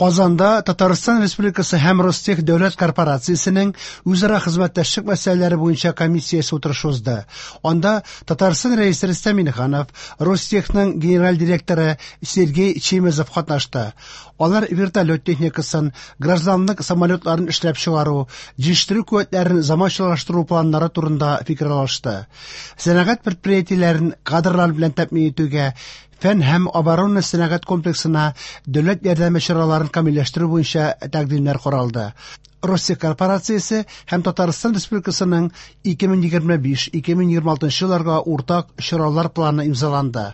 Казанда Татарстан Республикасы һәм Ростех дәүләт корпорациясенең үзара хезмәттәшлек мәсьәләләре буенча комиссиясе утырышы узды. Анда Татарстан Рәисе Рөстәм Миңнеханов, Ростехның генераль директоры Сергей Чемезов катнашты. Алар вертолет техникасын, гражданлык самолетларын эшләп чыгару, җитештерү куәтләрен заманчалаштыру планнары турында фикер алышты. Сәнәгать предприятиеләрен кадрлар белән тәэмин итүгә, фән һәм оборона сәнәгать комплексына дәүләт ярдәме чараларын камилләштерү буенча тәкъдимнәр каралды. Ростех корпорациясе һәм Татарстан Республикасының 2025-2026 елларга уртак чаралар планы имзаланды.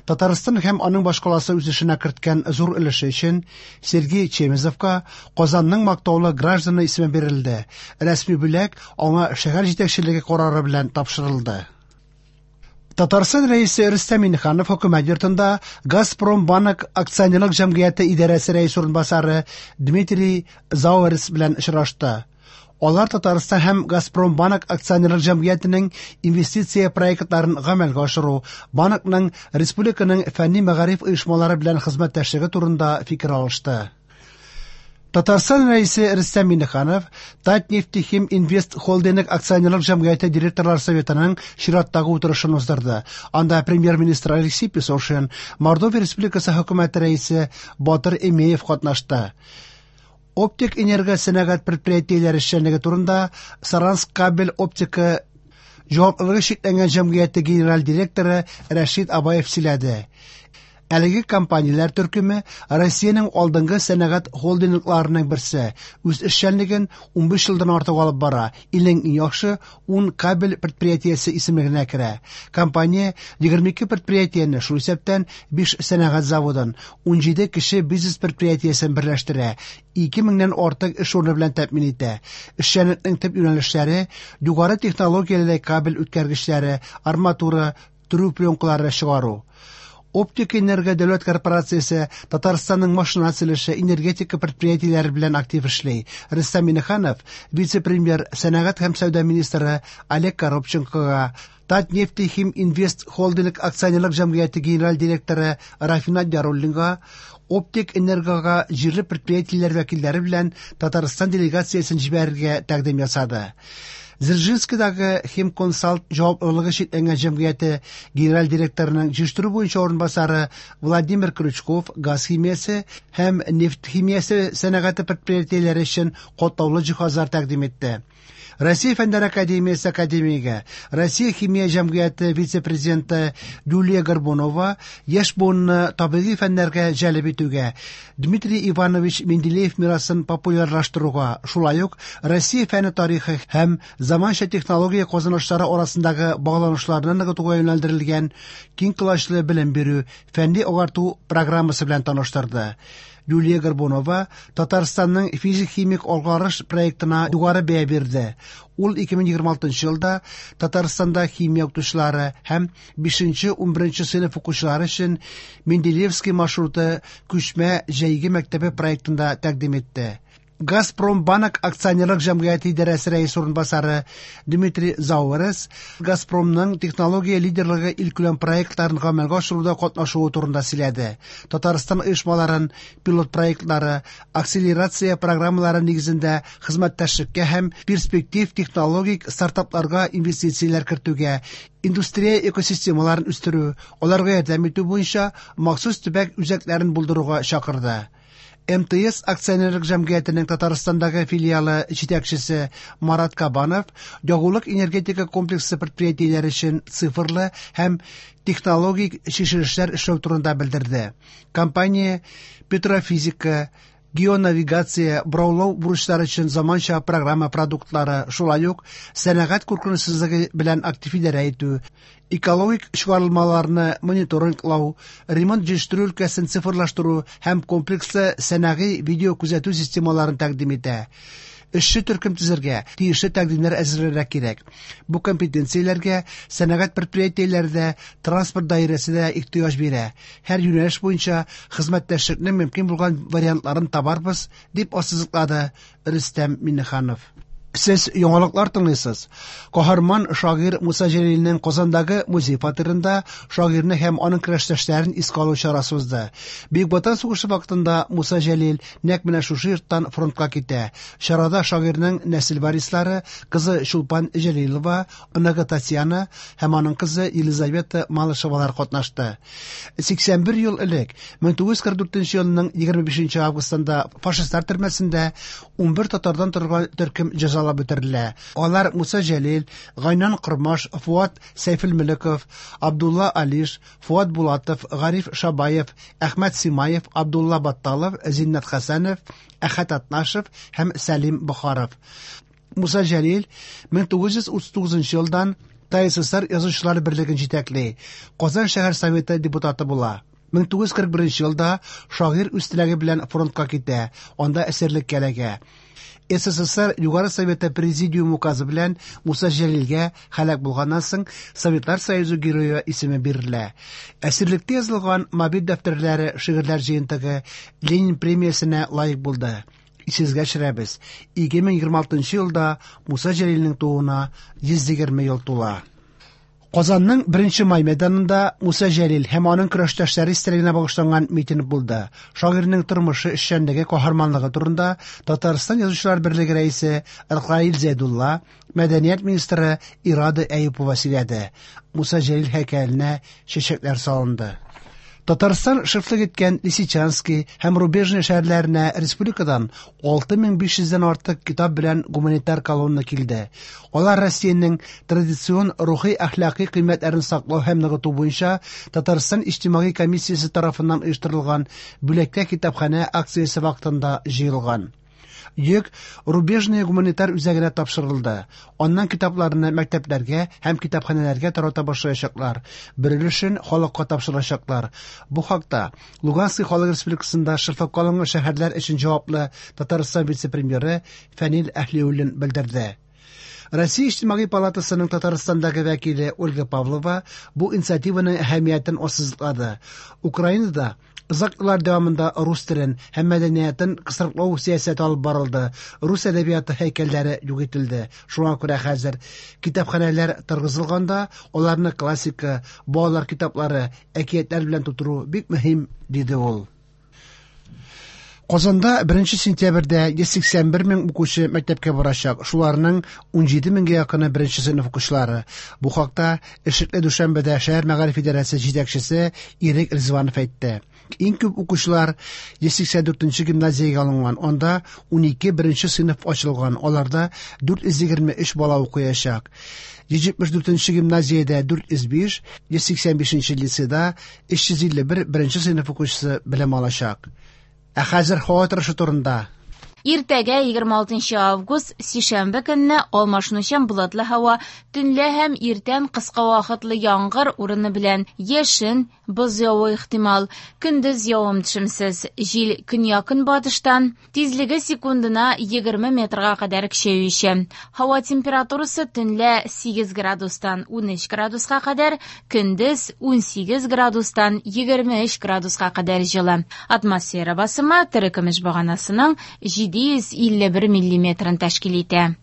Татарстан һәм аның башкаласы үсешенә керткән зур өлеше өчен Сергей Чемезовка Казанның мактаулы гражданы исеме бирелде. Рәсми бүләк аңа шәһәр җитәкчелеге карары белән тапшырылды. Татарстан Рәисе Рөстәм Миңнеханов хөкүмәт йортында Газпромбанк акционерлык җәмгыяте идарәсе рәисе урынбасары Дмитрий Зауэрс белән очрашты. Алар Татарстан һәм Газпромбанк акционерлык җәмгыятенең инвестиция проектларын гамәлгә ашыру, банкның республиканың фәнни-мәгариф оешмалары белән хезмәттәшлеге турында фикер алышты. Татарстан Рәисе Рөстәм Миңнеханов Татнефтехим Инвест Холдинг акционерлык җәмгыяте директорлар советының чираттагы утырышын уздырды. Анда премьер-министр Алексей Песошин, Мордовия Республикасы хөкүмәте рәисе Батыр Эмеев катнашты. Оптик энерго сәнәгать предприятиеләре эшчәнлеге турында Саранск кабель оптика җаваплылыгы чикләнгән җәмгыяте генераль директоры Рәшид Абаев сөйләде. Әлеге компанияләр төркеме Россиянең алдынгы сәнәгать холдингларының берсе. Үз эшчәнлеген 15 елдан артык алып бара. Илнең иң яхшы 10 кабель предприятиесе исемлегенә керә. Компания 22 предприятиене, шул исәптән 5 сәнәгать заводын, 17 кече бизнес предприятиесен берләштерә. 2 меңнән артык эш урыны белән тәэмин итә. Эшчәнлекнең төп юнәлешләре югары технологияле кабель үткәргечләре, арматура, төрү пленкалары чыгару. Оптик энерго дәүләт корпорациясе Татарстанның машина төзелеше, энергетика предприятиеләре белән актив эшли. Рөстәм Миңнеханов вице-премьер, сәнәгать һәм сәүдә министры Олег Коробченкога, Татнефтехим Инвест Холдинг акционерлык җәмгыяте генераль директоры Рафинат Яруллинга Оптик энергога җирле предприятиеләр вәкилләре белән Татарстан делегациясен җибәрергә тәкъдим ясады. Дзержинскидагы Химконсалт җаваплылыгы чикләнгән җәмгыяте генераль директорының җыештыру буенча урынбасары Владимир Крючков газ химиясе һәм нефть химиясе сәнәгате предприятиеләре өчен катлаулы җиһазлар тәкъдим итте. Россия Фәннәр академиясе академигы, Россия химия җәмгыяте вице-президенты Юлия Горбунова яшь буынны табигый фәннәргә җәлеп итүгә, Дмитрий Иванович Менделеев мирасын популярлаштыруга, шулай ук Россия фәне тарихы һәм заманча технология казанышлары арасындагы багланышларны ныгытуга юнәлдерелгән киң колачлы белем бирү, фәнни агарту программасы белән таныштырды. Юлия Горбунова Татарстанның физик-химик алгарыш проектына югары бәя бирде. Ул 2026 елда Татарстанда химия укытучылары һәм 5-11 сыйныф укучылары өчен Менделеевский маршруты күчмә җәйге мәктәбе проектында тәкъдим итте. Газпромбанк акционерлык җәмгыяте идарәсе рәисе урынбасары Дмитрий Зауэрес Газпромның технология лидерлыгы илкүләм проектларын гамәлгә ашыруда катнашуы турында сөйләде. Татарстан оешмаларын пилот проектлары, акселерация программалары нигезендә хезмәттәшлеккә һәм перспектив технологик стартапларга инвестицияләр кертүгә, индустрия экосистемаларын үстерү, аларга ярдәм итү буенча махсус төбәк үзәкләрен булдыруга чакырды. МТС акционерлык җәмгыятенең Татарстандагы филиалы җитәкчесе Марат Кабанов ягулык энергетика комплексы предприятиеләре өчен цифрлы һәм технологик чишелешләр эшләү турында белдерде. Компания петрофизика, геонавигация, бораулау бурычлары өчен заманча программа продуктлары, шулай ук сәнәгать куркынычсызлыгы белән актив идарә итү, экологик чыгарылмаларны мониторинглау, ремонт җитештерү өлкәсен цифрлаштыру һәм комплекслы сәнәгый видеокүзәтү системаларын тәкъдим итә. Эшче төркем төзергә, тиешле тәкъдимнәр әзерләргә кирәк. Бу компетенцияләргә сәнәгать предприятиеләре дә, транспорт даирәсе дә ихтыяҗ бирә. Һәр юнәлеш буенча хезмәттәшлекнең мөмкин булган вариантларын табарбыз, дип ассызыклады Рөстәм Миңнеханов. Сез яңалыклар тыңлыйсыз. Каһарман шагыйрь Муса Җәлилнең Казандагы музей фатирында шагыйрьне һәм аның көрәштәшләрен искә алу чарасы узды. Бөек Ватан сугышы вакытында Муса Җәлил нәкъ менә шушы йорттан фронтка китә. Чарада шагыйрьнең нәсел варислары, кызы Чулпан Җәлилова, оныгы Татьяна һәм аның кызы Елизавета Малышевалар катнашты. 81 ел элек, 1944 елның 25 августында фашистлар төрмәсендә 11 татардан торган төркем җәзалап үтерелә. Алар Муса Җәлил, Гайнан Кормаш, Фуат Сәйфелмөлеков, Абдулла Алиш, Фуат Булатов, Гариф Шабаев, Әхмәт Симаев, Абдулла Батталов, Зиннәт Хәсәнов, Әхәт Атнашев һәм Сәлим Бохаров. Муса Җәлил 1939 елдан ТАССР Язучылар берлеген җитәкли, Казан шәһәр советы депутаты була. 1941 елда шагыйрь үз теләге белән фронтка китә, анда әсирлеккә эләгә. СССР Югары Советы Президиум указы белән Муса Җәлилгә һәлак булганнан соң Советлар Союзы Герое исеме бирелә. Әсирлектә язылган Мобиль дәфтәрләре шигырьләр җыентыгы Ленин премиясенә лаек булды. Исегезгә төшерәбез, 2026 елда Муса Җәлилнең тууына 120 ел тула. Казанның 1 май мәйданында Муса Җәлил һәм аның көрәштәшләре истәлегенә багышланган митинг булды. Шагыйрьнең тормышы, эшчәнлеге, каһарманлыгы турында Татарстан Язучылар берлеге рәисе Ркаил Зәйдулла, мәдәният министры Ирада Әюпова сөйләде. Муса Җәлил һәйкәленә чәчәкләр салынды. Татарстан шефлык иткән Лисичански һәм Рубежный шәһәрләренә республикадан 6500 дән артык китап белән гуманитар колонна килде. Алар Россиянең традицион рухи-әхлакый кыйммәтләрен саклау һәм ныгыту буенча Татарстан иҗтимагый комиссиясе тарафыннан оештырылган Бүләккә китапханә акциясе вакытында җыелган. Йөк Рубежная гуманитар үзәгенә тапшырылды. Аннан китапларны мәктәпләргә һәм китапханәләргә тарата башлаячаклар. Бер өлешен халыкка тапшырачаклар. Бу хакта Луганский халык республикасында шефлыкка алынган шәһәрләр өчен җаваплы Татарстан вице-премьеры Фәнил Әһлиуллин белдерде. Россия Иҗтимагый палатасының Татарстандагы вәкиле Ольга Павлова бу инициативаның әһәмиятен ассызыклады. Украинада озак еллар дәвамында рус телен һәм мәдәниятен кысрыклау сәясәте алып барылды, рус әдәбияты һәйкәлләре юк ителде. Шуңа күрә хәзер китапханәләр торгызылганда, аларны классика, балалар китаплары, әкиятләр белән тутыру бик мөһим, диде ул. Казанда 1 сентябрьдә 181 мең укучы мәктәпкә барачак. Шуларның 17 меңгә якыны беренче сыйныф укучылары. Бу хакта Эшлекле дүшәмбедә шәһәр мәгариф идарәсе җитәкчесе Ирек Ризванов әйтте. Иң күп укучылар 184 нче гимназиягә алынган. Анда 12 беренче сыйныф ачылган. Аларда 423 бала укыячак. 174 нче гимназиядә 405, 185 нче лицейда 351 беренче сыйныф укучысы белем алачак. Ә хәзер һава торышы турында. Иртәгә, 26 август, сишәмбе көнне алмашынучан болытлы һава, төнлә һәм иртән кыска вакытлы яңгыр урыны белән яшен, боз явуы ихтимал. Көндез явым-төшемсез. Җил көньяк-көнбатыштан, тизлеге секундына 20 метрга кадәр көчәюче. Һава температурасы төнлә 8 градустан 13 градуска кадәр, көндез 18 градустан 23 градуска кадәр җылы. Атмосфера басымы терекөмеш баганасының 751 миллиметрын тәшкил итә.